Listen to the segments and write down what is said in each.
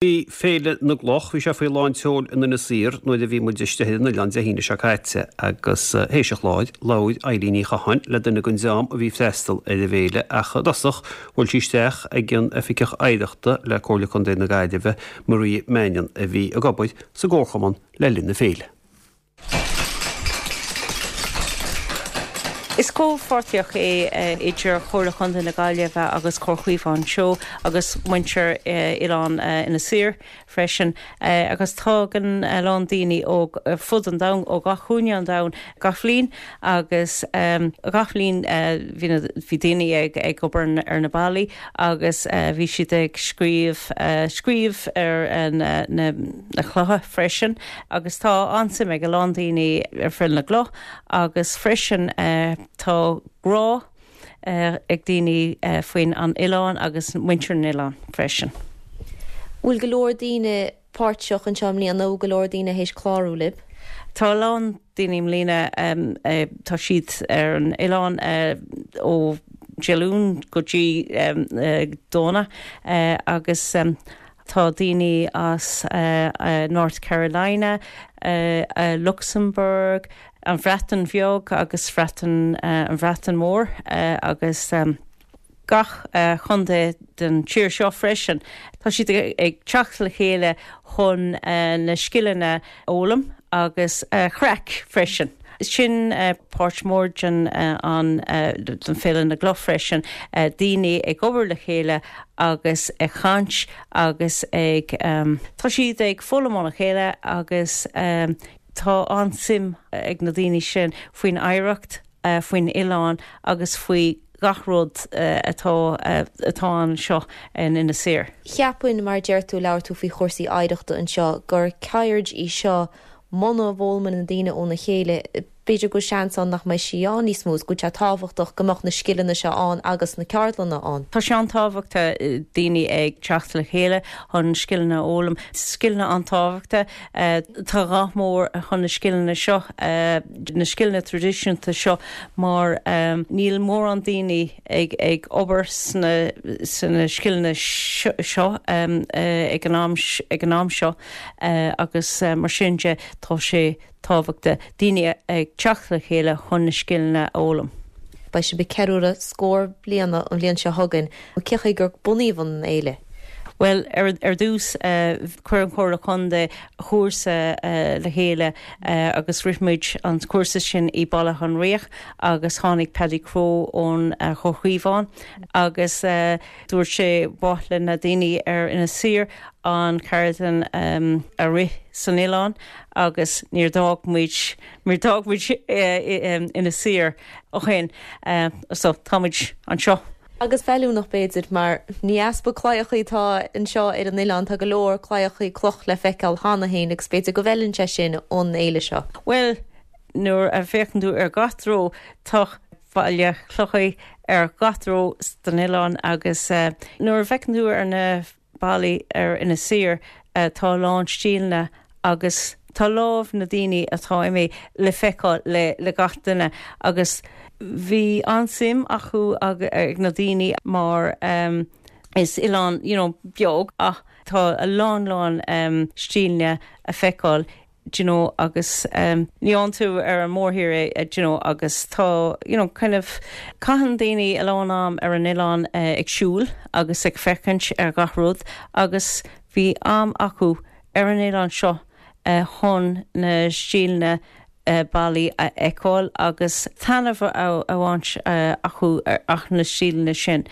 Bhí Féile na gCloch, bhí sé faoi lán tseoil in Inis Oírr nuair a bhí muid istigh ar an oileán Dé hAoine seo caite agus théis an chláir, labhair Eilín Ní Chatháin le duine den dream a bhí ag freastal ar an bhféile ach i dtosach bhuail sí isteach ag an Oifigeach Oidhreachta le Comhairle Contae na Gaillimhe, Maria Mannion, a bhí ag obair sa gComharchumann le linn na féile. Is comhpháirtíocht é idir Chomhairle Chontae na Gaillimhe agus Comhar Chaomhán Teo agus muintir Oileán Inis Oírr freisin agus tagann a lán daoine ó fud an domhain, ó gach cúinne an domhain gach bhliain agus gach bhliain bhí daoine ag obair ar na ballaí agus bhí siad ag scríobh scríobh ar na clocha freisin agus tá an-suim ag a lán daoine ar Féile na gCloch agus freisin tá grá ag daoine faoin an oileán agus muintir an oileáin freisin. Bhfuil go leor daoine páirteach anseo i mbliana, bhfuil go leor daoine théis clárú libh? Tá a lán daoine i mbliana, tá siad ar an oileán ó Dé Luain go dtí Domhnach agus tá daoine as North Carolina, Luxembourg, an Bhreatain Bheag agus Bhreatain, an Bhreatain Mhór agus. gach chontae den tír seo freisin. Tá siad ag teacht le chéile chun na scileanna a fhoghlaim agus craic freisin. Sin páirt mór den an den Féile na gCloch freisin, daoine ag obair le chéile agus ag caint agus ag tá siad ag foghlaim óna chéile agus tá an-suim ag na daoine sin faoin oidhreacht faoin oileán agus faoi gach rud atá atá anseo in Inis Oírr. Cheapfainn, mar a deir tú, labhair tú faoi chúrsaí oidhreachta anseo, gur ceird í seo muna bhfoghlaimeann na daoine óna chéile, b'fhéidir go bhfuil seans ann nach mbeidh sí ann níos mó is go bhfuil sé tábhachtach go mbeadh na scileanna seo ann agus na ceardlanna ann. Tá sé an-tábhachtach daoine ag teacht le chéile chun scileanna a fhoghlaim. Scileanna an-tábhachtach. Tá gá mór chun na scileanna seo, na scileanna traidisiúnta seo mar níl mórán daoine ag ag obair sna sna scileanna seo ag an am ag an am seo agus mar sin de tá sé tábhachtach daoine ag teacht le chéile chun na scileanna a fhoghlaim. Beidh sibh ag ceiliúradh scór bliana an bhliain seo chugainn. Cén chaoi gur bunaíodh an fhéile? Bhuel, ar dtús, chuir an Chomhairle Contae cúrsa le chéile agus rith muid an cúrsa sin i Baile Átha Fhionnriach agus tháinig Paddy Crowe ón Chomhar Chaomhán agus dúirt sé ba mhaith le na daoine ar Inis Oírr an ceardlann a rith san oileán agus níor d'fhág muid, níor d'fhág muid Inis Oírr ó shin so tá muid anseo. Agus feiliúnach, b'fhéidir, mar ní easpa claíochaí atá anseo ar an oileán, tá go leor claíochaí cloch le feiceáil cheana féin agus b'fhéidir go bhfeileann sé sin an fhéile seo. Bhuel, nuair a féachann tú ar gach treo, tá ballaí clocha ar gach treo den oileán agus nuair a fheiceann tú ar na ballaí ar Inis Oírr tá a lán stíleanna agus tá lámh na daoine atá imithe le feiceáil le le gach duine agus bhí an-suim acu ag na daoine mar is oileán you know beag ach tá a lán lán stíleanna a feiceáil do you know agus ní fhaigheann tú ar an mórthír é do you know agus tá you know kind of caitheann daoine a lán am ar an oileán ag siúl agus ag féachaint ar gach rud agus bhí am acu ar an oileán seo chun na stíleanna ballaí a fheiceáil agus taitneamh a bhaint acu as na stíleanna sin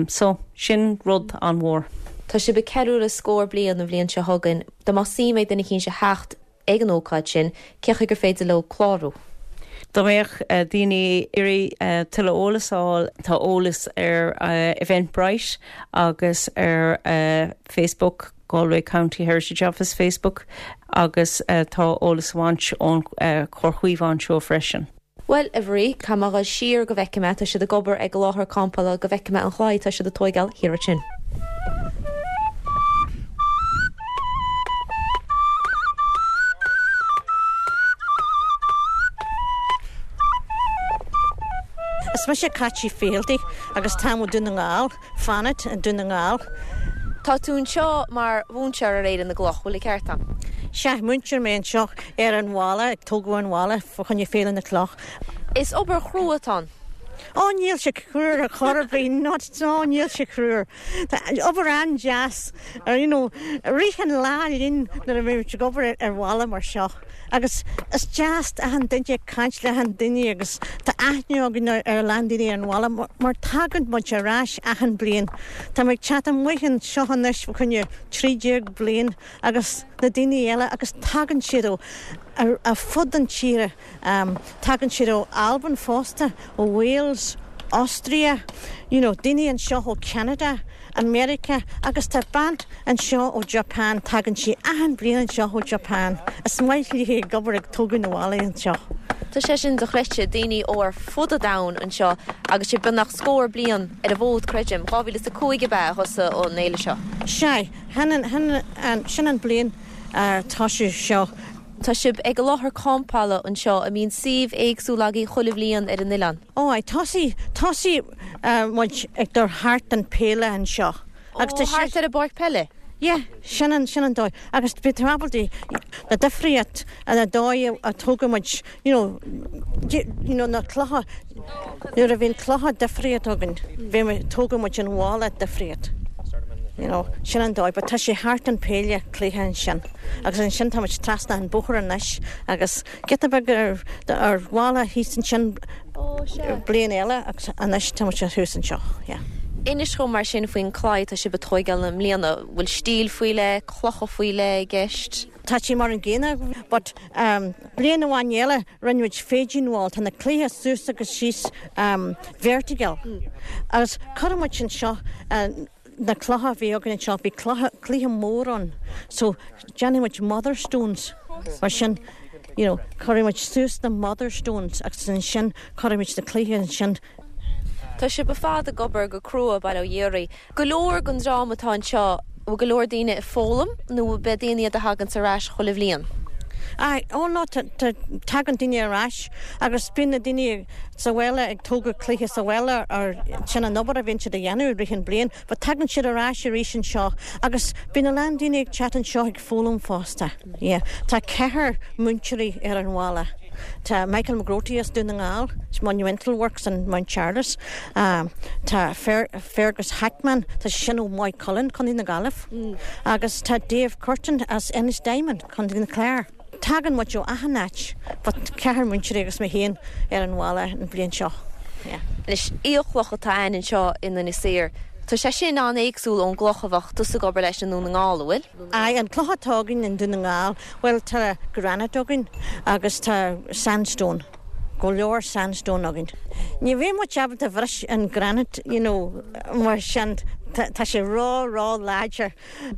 so sin rud an-mhór. Tá sibh ag ceiliúradh scór bliain an bhliain seo chugainn. Dá mbeadh suim ag duine eicínt a theacht ag an ócáid sin, cén chaoi gur féidir leo clárú? Dá mbeadh daoine ag iarraidh tuilleadh eolas a fháil, tá eolas ar Eventbrite agus ar Facebook, Galway County Heritage Office Facebook, agus tá eolas a bhaint ón Chomhar Chaomhán Teo freisin. Bhuel, a Mharie, caithfidh mé a dhul siar go bhfeicfidh mé, tá siad ag obair ag an láthair campála, go bhfeicfidh mé an chlaí atá siad ag tóigeáil thiar ansin. Is mise Caití Fieldy agus táim ó Dún na nGall, fanacht i nDún na nGall. Tá tú anseo mar mhúinteoir ar Fhéile na gCloch, bhfuil an ceart a'm? Sea, múinteoir mé anseo ar an bhalla, ag tógadh an bhalla fá choinne Féile na gCloch. Is obair chrua atá ann. Ó, níl sé crua ar chor ar bith, not at all, níl sé crua. Tá obair an-deas, you know, rith an lá linn nuair a bhímid ag obair ar bhalla mar seo. Agus is deas achan duine ag caint le achan duine agus tá aithne againn ar a lán daoine ar an bhalla mar tagann muid ar ais achan bliain. Tá mé ag teacht amuigh anseo anois fá choinne 13 bliain agus na daoine eile agus tagann siad ó ar fud an tíre. Tagann siad ó Albain fosta, ó Wales, Austria, you know, daoine anseo ó Canada, America agus tá bean anseo ó Japan, tagann sí achan bliain anseo ó Japan. Is maith léi ag obair ag tógadh na bhallaí anseo. Tá sé sin dochreidte, daoine ó ar fud an domhain anseo agus sibh beagnach scór bliain ar an bhfód, creidim. 2005 ab ea a thosaigh an fhéile seo? Sea, sin an bliain a tosaíodh seo. Tá sibh ag an láthair campála anseo, an mbíonn suíomh éagsúil agaibh chuile bhliain ar an oileán? Ó aye, thosaigh, thosaigh muid ag dul thart an peile anseo agus tá sé. Ó, thart ar an bpáirc peile? Yeah, sin an, sin an dóigh. Agus bhí tú ábalta na difríocht, na dóigh a tógadh muid, you know, you know na clocha, nuair a bhíonn clocha difríocht againn, bhí muid, tógadh muid an bhalla difríocht. You know, sin an dóigh, but tá sé thart an peile cloiche ansin. Agus ansin tá muid trasna an bóthar anois agus giota beag ar ar bhalla thíos ansin bliain eile agus anois tá muid thuas anseo, yeah. Inis dhom mar sin faoin claí atá sibh ag tóigeáil i mbliana. Bhfuil stíl faoi leith, clocha faoi leith i gceist? Tá sé mar an gcéanna but bliain amháin eile rinne muid fading wall, tá na cloiche suas agus síos vertical agus cuireann muid anseo na clocha a bhí againn anseo, bhí clocha, cloiche mór ann so déanfaidh muid mother stones mar sin you know cuirfidh muid suas na mother stones agus ansin cuirfidh muid na cloiche ansin. Tá sibh ar fad ag obair go crua, bail ó Dhia oraibh. Go leor den dream atá anseo, bhfuil go leor daoine ag foghlaim nó ab é daoine iad a thaganns ar ais chuile bhliain? Aye, oh no, tá, tá, tagann daoine ar ais agus bíonn na daoine sa bhaile ag tógadh cloiche sa bhaile ar sin an obair a bhíonn siad a dhéanamh i rith an bliain but tagann siad ar ais arís anseo agus bíonn a lán daoine ag teacht anseo ag foghlaim fosta. Yeah. Tá ceathrar múinteoirí ar an bhalla. Tá Michael McGroarty as Dún na nGall, Monumental Works in Mount Charles. Tá Fergus Hackman, tá sé sin ó Maigh Cuilinn, Contae na Gaillimhe. Agus tá Dave Curtin as Ennistymon, Contae na Clár. Tagann muid ó achan áit, but ceathrar múinteoirí agus mé féin ar an bhalla an bhliain seo. Yeah. Anois, aolchloch atá ann anseo in Inis Oírr. Tá sé sin an-éagsúil ón gcloch a bheadh tusa ag obair leis i nDún na nGall, an bhfuil? Aye, an cloch atá againn i nDún na nGall, bhuel tá granite againn agus tá sandstone, go leor sandstone againn. Ní bheidh muid ábalta bhris an granite, you know, mar sin, tá sé ró, ró láidir.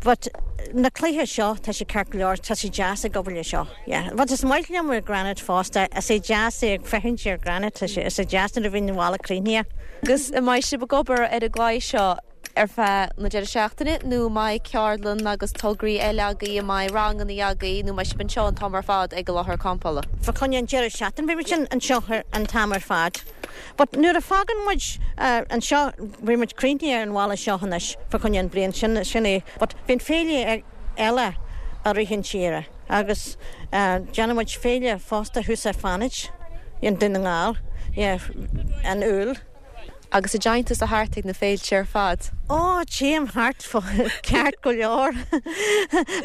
But na cloiche seo, tá sé ceart go leor, tá sé deas ag obair le seo, yeah. But is maith liom ar granite fosta, is é deas é ag féachaint ar granite, tá sé, is é deas nuair a bhíonn an bhalla críochnaithe. Agus an mbeidh sibh ag obair ar an gclaí seo ar feadh na deireadh seachtaine nó an mbeidh ceardlann agus tograí eile agaibh, an mbeidh ranganna agaibh nó an mbeidh sibh anseo an t-am ar fad ag an láthair campála? Fá choinne an deireadh seachtaine beidh muid anseo an t-am ar fad. But nuair a fágann muid anseo beidh muid críochnaithe ar an bhalla seo anois fá choinne an bhliain sin, sin é. But bíonn féile eile i rith an tsaoire agus déanann muid féile fosta thuas ar Fánaid i nDún na nGall, yeah, in Iúil. Agus an dtéann tusa thart ag na féilte ar fad? Ó, téim thart ceart go leor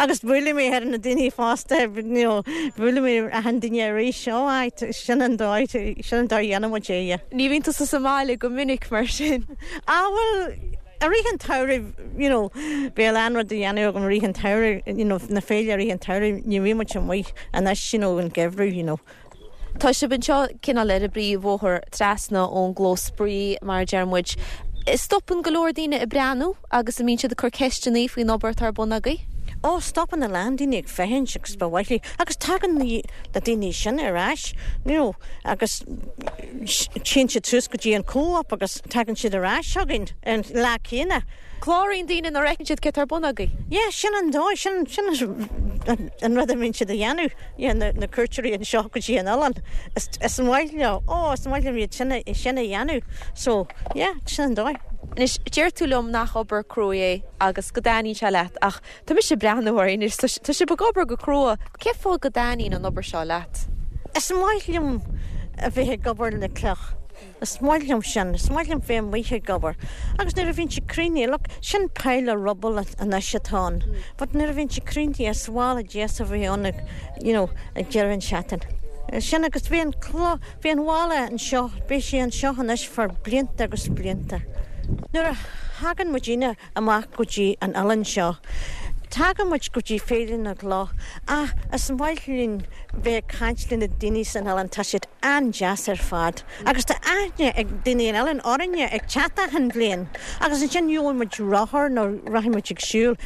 agus buailim mé ar na daoine fosta, you know, buailim mé achan duine arís, ó aye, sin an dóigh, sin an dóigh a dhéanann muid é, yeah. Ní bhíonn tusa sa mbaile go minic mar sin? Ah bhuel, i rith an tsamhraidh, you know, bhí a lán rud a dhéanamh agam i rith an tsamhraidh, you know, na féile i rith an tsamhraidh, ní bhíonn muid amuigh anois, you know, an geimhreadh, you know. Tá sibh anseo cineál ar an bpríomhbhóthar trasna ón gclós spraoi, mar a deir muid. Stopann go leor daoine ag breathnú agus an mbíonn siad ag cur ceisteanna faoin obair atá ar bun agaibh? Ó, stopann a lán daoine ag féachaint agus ba mhaith leo, agus tagann na daoine sin ar ais, you know, agus téann siad suas go dtí an co-op agus tagann siad ar ais chugainn an lá céanna. Cláraíonn daoine nuair a fheiceann siad céard atá ar bun agaibh. Yeah, sin an dóigh, sin, sin an rud a mbíonn siad a dhéanamh, yeah, na, na cuairteoirí anseo go dtí an oileán. Is, is maith leo, oh, is maith leo iad sin, sin a dhéanamh. So, yeah, sin an dóigh. Anois, deir tú liom nach obair cruaidh é agus go dtaitníonn sé leat ach tá mise ag breathnú oraibh anois, tá sibh ag obair go crua. Cén fáth go dtaitníonn an obair seo leat? Is maith liom a bheith ag obair le cloch. Is maith liom sin. Is maith liom bheith amuigh ag obair. Agus nuair a bhíonn sé críochnaithe, look, sin pile of rubble anois atá ann. But nuair a bhíonn sé críochnaithe, is balla deas a bheidh ann ag, you know, ag deireadh an seachtain. Sin agus bhí an cloch, bhí an bhalla anseo, beidh sé anseo anois for blianta agus blianta. Nuair a thagann muidinne amach go dtí an oileán seo, tagann muid go dtí Féile na gCloch ach is maith linn bheith ag caint le na daoine san oileán, tá siad an-deas ar fad agus tá aithne ag daoine an oileáin orainne ag teacht achan bhliain agus ansin gheobhaidh muid rothar nó rachaidh muid ag siúl.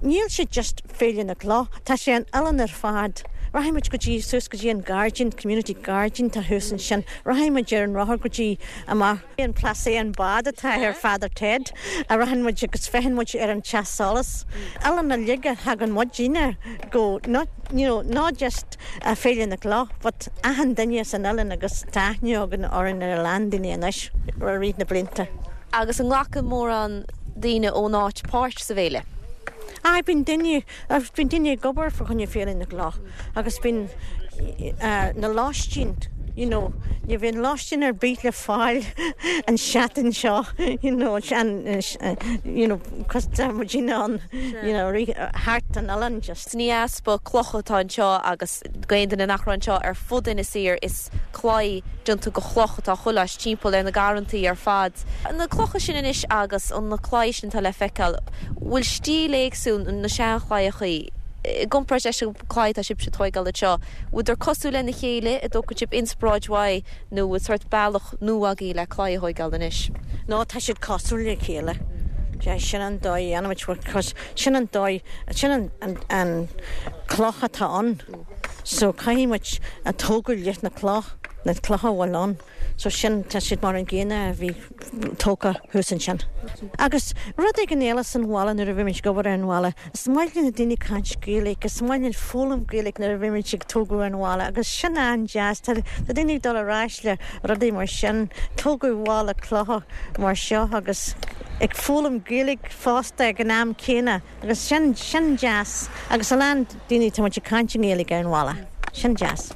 Níl sé just Féile na gCloch, tá sé an oileán ar fad. Rachaidh muid go dtí, suas go dtí an gairdín, community gairdín tá thuas ansin, rachaidh muid ar an rothar go dtí amach an Plassey an bád atá ar Father Ted a rachann muid agus féachann muid ar an teach solais. Oileán uilig a thagann muidinne go, not, you know, not just Féile na gCloch but achan duine san oileán agus tá aithne againn orainn ar a lán daoine anois i rith na blianta. Agus an nglacann mórán daoine ón áit páirt sa bhféile? Aye, bíonn daoine, bíonn daoine ag obair fá choinne Féile na gCloch agus bíonn na lóistín, you know, ní bhíonn lóistín ar bith le fáil an seachtain seo, you know, you know, cos tá muidinne ann, you know, thart an oileán just. Ní easpa clocha atá anseo agus d'aon duine nach raibh anseo ar fud Inis Oírr is claí déanta de chloch atá chuile áit timpeall ar na garrantaí ar fad. Na clocha sin anois agus na claí sin atá le feiceáil, bhfuil stíl éagsúil na seanchlaíochaí i gcomparáid leis an claí atá sibhse ag tóigeáil anseo, bhfuileadar cosúil lena chéile, an dtógann sibh inspioráid uaidh nó bhfuil sórt bealach nua agaibh le claí a thóigeáil anois? No, tá siad cosúil le chéile. Sin an dóigh a dhéanaimid because sin an dóigh, sin an cloch atá ann. So caithfidh muid a tógadh leis na cloch, na clocha a bhfuil ann. So sin, tá siad mar an gcéanna a bhí tógtha thuas ansin. Agus rud éigin eile san bhaile nuair a bhí muid ag obair ar an bhaile, is maith le na daoine caint Gaeilge, is maith linn foghlaim Gaeilge nuair a bhí muid ag tógadh an bhalla agus sin an-deas, tá daoine ag dul ar ais le rudaí mar sin, tógadh bhalla clocha mar seo agus ag foghlaim Gaeilge fosta ag an am céanna. Agus sin, sin deas. Agus a lán daoine, tá muid ag caint i nGaeilge ar an bhalla. Sin deas.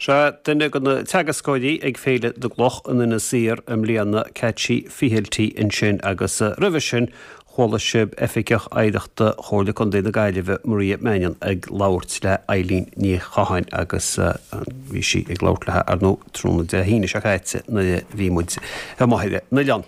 Sea, duine de na teagascóirí ag Féile na gCloch in Inis Oírr i mbliana, Ceaití Fehelty ansin agus roimhe sin chuala sibh Oifigeach Oidhreachta Chomhairle Contae na Gaillimhe, Maria Mannion ag labhairt le Eileen Ní Chatháin agus bhí sí ag labhairt léi ar ndóigh tráthnóna Dé hAoine seo caite nuair a bhí muid amuigh ar an oileán.